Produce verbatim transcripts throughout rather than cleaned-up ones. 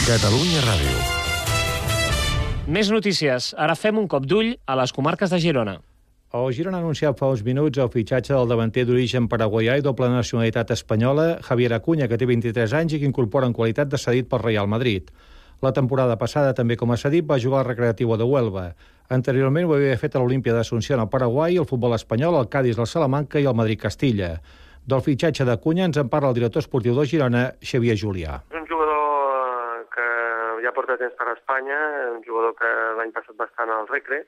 Catalunya Ràdio. Més notícies. Ara fem un cop d'ull a les comarques de Girona. El Girona ha anunciat fa uns minuts el fitxatge del davanter d'origen paraguaià i doble nacionalitat espanyola, Javier Acuña, que té vint-i-tres anys i que incorpora en qualitat de cedit pel Real Madrid. La temporada passada, també com a cedit, va jugar al Recreativo de Huelva. Anteriorment ho havia fet a l'Olímpia d'Asunción al Paraguai, el futbol espanyol, el Cádiz, el Salamanca i el Madrid-Castilla. Del fitxatge d'Acuña ens en parla el director esportiu de Girona, Xavier Julià. És un jugador que ja porta temps per Espanya, un jugador que l'any passat va estar al Recre,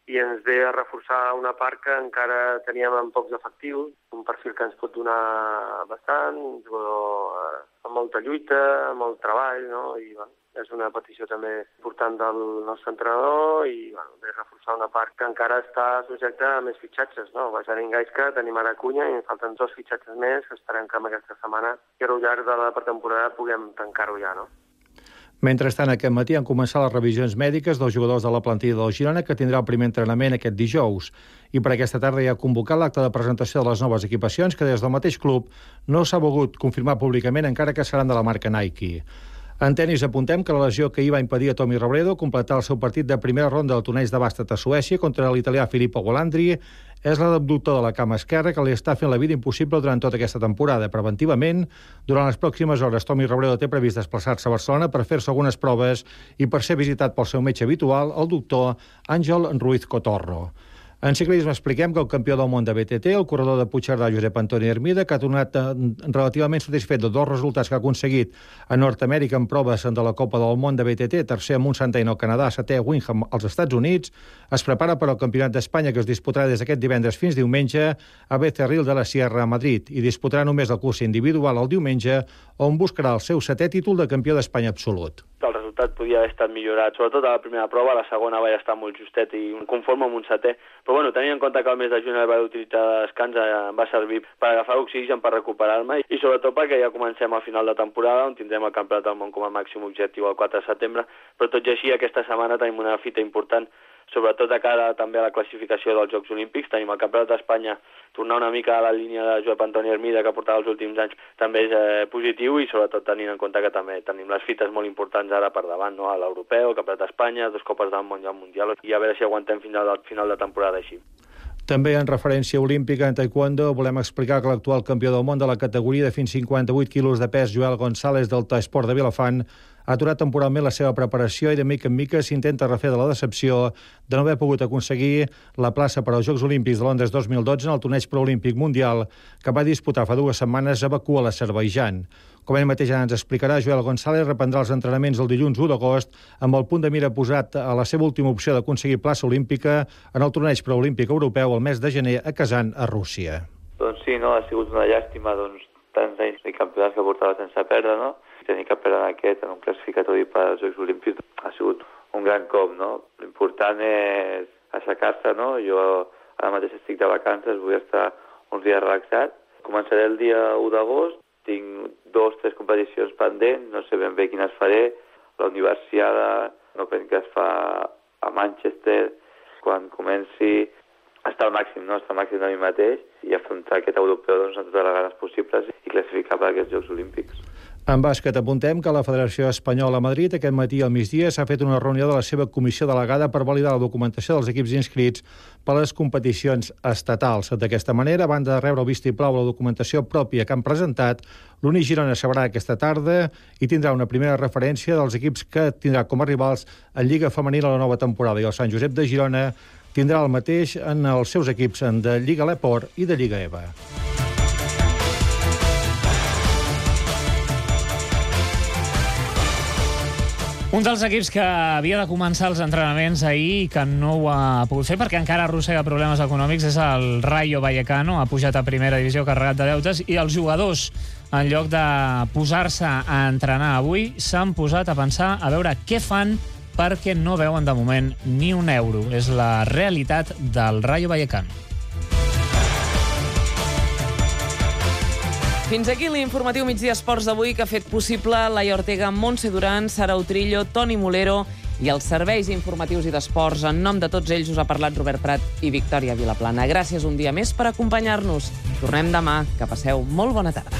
i ens ve a reforçar una part que encara teníem en pocs efectius, un perfil que ens pot donar bastant, un jugador amb molta lluita, amb molt treball, no? I bueno, és una petició també important del nostre entrenador i bueno, ve a reforçar una part que encara està subjecta a més fitxatges, no? Ja tenim Gaisca, tenim ara Acuña i ens falten dos fitxatges més que esperem que amb aquesta setmana i al llarg de la pretemporada puguem tancar-ho ja, no? Mentrestant, aquest matí han començat les revisions mèdiques dels jugadors de la plantilla del Girona, que tindrà el primer entrenament aquest dijous. I per aquesta tarda ja ha convocat l'acte de presentació de les noves equipacions, que des del mateix club no s'ha volgut confirmar públicament, encara que seran de la marca Nike. En tenis apuntem que la lesió que hi va impedir a Tommy Robredo completar el seu partit de primera ronda del torneig de bàsquet a Suècia contra l'italià Filippo Golandri és la d'abductor de la cama esquerra que li està fent la vida impossible durant tota aquesta temporada. Preventivament, durant les pròximes hores, Tommy Robredo té previst desplaçar-se a Barcelona per fer-se algunes proves i per ser visitat pel seu metge habitual, el doctor Àngel Ruiz Cotorro. En ciclisme expliquem que el campió del món de B T T, el corredor de Puigcerdà, Josep Antoni Hermida, que ha tornat relativament satisfet de dos resultats que ha aconseguit a Nord-Amèrica en proves de la Copa del Món de B T T, tercer a Mont-Saint-Anne al Canadà, setè a Windham als Estats Units, es prepara per al Campionat d'Espanya que es disputarà des d'aquest divendres fins diumenge a Becerril de la Sierra a Madrid i disputarà només el curs individual el diumenge, on buscarà el seu setè títol de campió d'Espanya absolut. El resultat podia haver estat millorat, sobretot a la primera prova, a la segona va estar molt justet i conforme amb un setè. Però bueno, tenint en compte que el mes de juny el vaig utilitzar de descans, em va servir per agafar oxigen, per recuperar-me i sobretot perquè ja comencem al final de temporada, on tindrem el Campionat del Món com a màxim objectiu el quatre de setembre, però tot i així aquesta setmana tenim una fita important, sobretot de cara també a la classificació dels Jocs Olímpics. Tenim el Campionat d'Espanya, tornar una mica a la línia de Josep Antoni Hermida que portava els últims anys també és eh, positiu i sobretot tenint en compte que també tenim les fites molt importants ara per davant, no? A l'Europeu, el Campionat d'Espanya, dos Copes del Món i el Mundial, i a veure si aguantem fins al final de temporada així. També en referència olímpica en taekwondo volem explicar que l'actual campió del món de la categoria de fins cinquanta-vuit quilos de pes, Joel González del Taesport de Vilafant, ha aturat temporalment la seva preparació i de mica en mica s'intenta refer de la decepció de no haver pogut aconseguir la plaça per als Jocs Olímpics de Londres dos mil dotze en el torneig preolímpic mundial que va disputar fa dues setmanes a Bakú, a l'Azerbaidjan. Com ell mateix ja ens explicarà, Joel González reprendrà els entrenaments el dilluns u d'agost amb el punt de mira posat a la seva última opció d'aconseguir plaça olímpica en el torneig preolímpic europeu el mes de gener a Kazan, a Rússia. Doncs sí, no? Ha sigut una llàstima, doncs, tants anys de campionats que portava sense perdre, no? Tenir que perdre en aquest, en un classificatori per als Jocs Olímpics, ha sigut un gran cop, no? L'important és aixecar-se, no? Jo ara mateix estic de vacances, vull estar uns dies relaxat. Començaré el dia u d'agost, tinc dos, tres competicions pendents, no sé ben bé quines faré. La Universiada, no penso que es fa a Manchester, quan comenci a estar al màxim, no? Estar al màxim de mi mateix i afrontar aquest europeu doncs, amb totes les ganes possibles i classificar per aquests Jocs Olímpics. En bàsquet apuntem que la Federació Espanyola a Madrid aquest matí al migdia s'ha fet una reunió de la seva comissió delegada per validar la documentació dels equips inscrits per a les competicions estatals. D'aquesta manera, a banda de rebre el vistiplau a la documentació pròpia que han presentat, l'Uni Girona sabrà aquesta tarda i tindrà una primera referència dels equips que tindrà com a rivals en Lliga Femenina a la nova temporada i el Sant Josep de Girona tindrà el mateix en els seus equips de Lliga Leport i de Lliga EVA. Un dels equips que havia de començar els entrenaments ahir i que no ho ha pogut fer perquè encara arrossega problemes econòmics és el Rayo Vallecano. Ha pujat a primera divisió carregat de deutes i els jugadors, en lloc de posar-se a entrenar avui, s'han posat a pensar a veure què fan perquè no veuen de moment ni un euro. És la realitat del Rayo Vallecano. Fins aquí l'informatiu Migdia Esports d'avui que ha fet possible Laia Ortega, Montse Duran, Sara Utrillo, Toni Molero i els serveis informatius i d'esports. En nom de tots ells us ha parlat Robert Prat i Victòria Vilaplana. Gràcies un dia més per acompanyar-nos. Tornem demà. Que passeu molt bona tarda.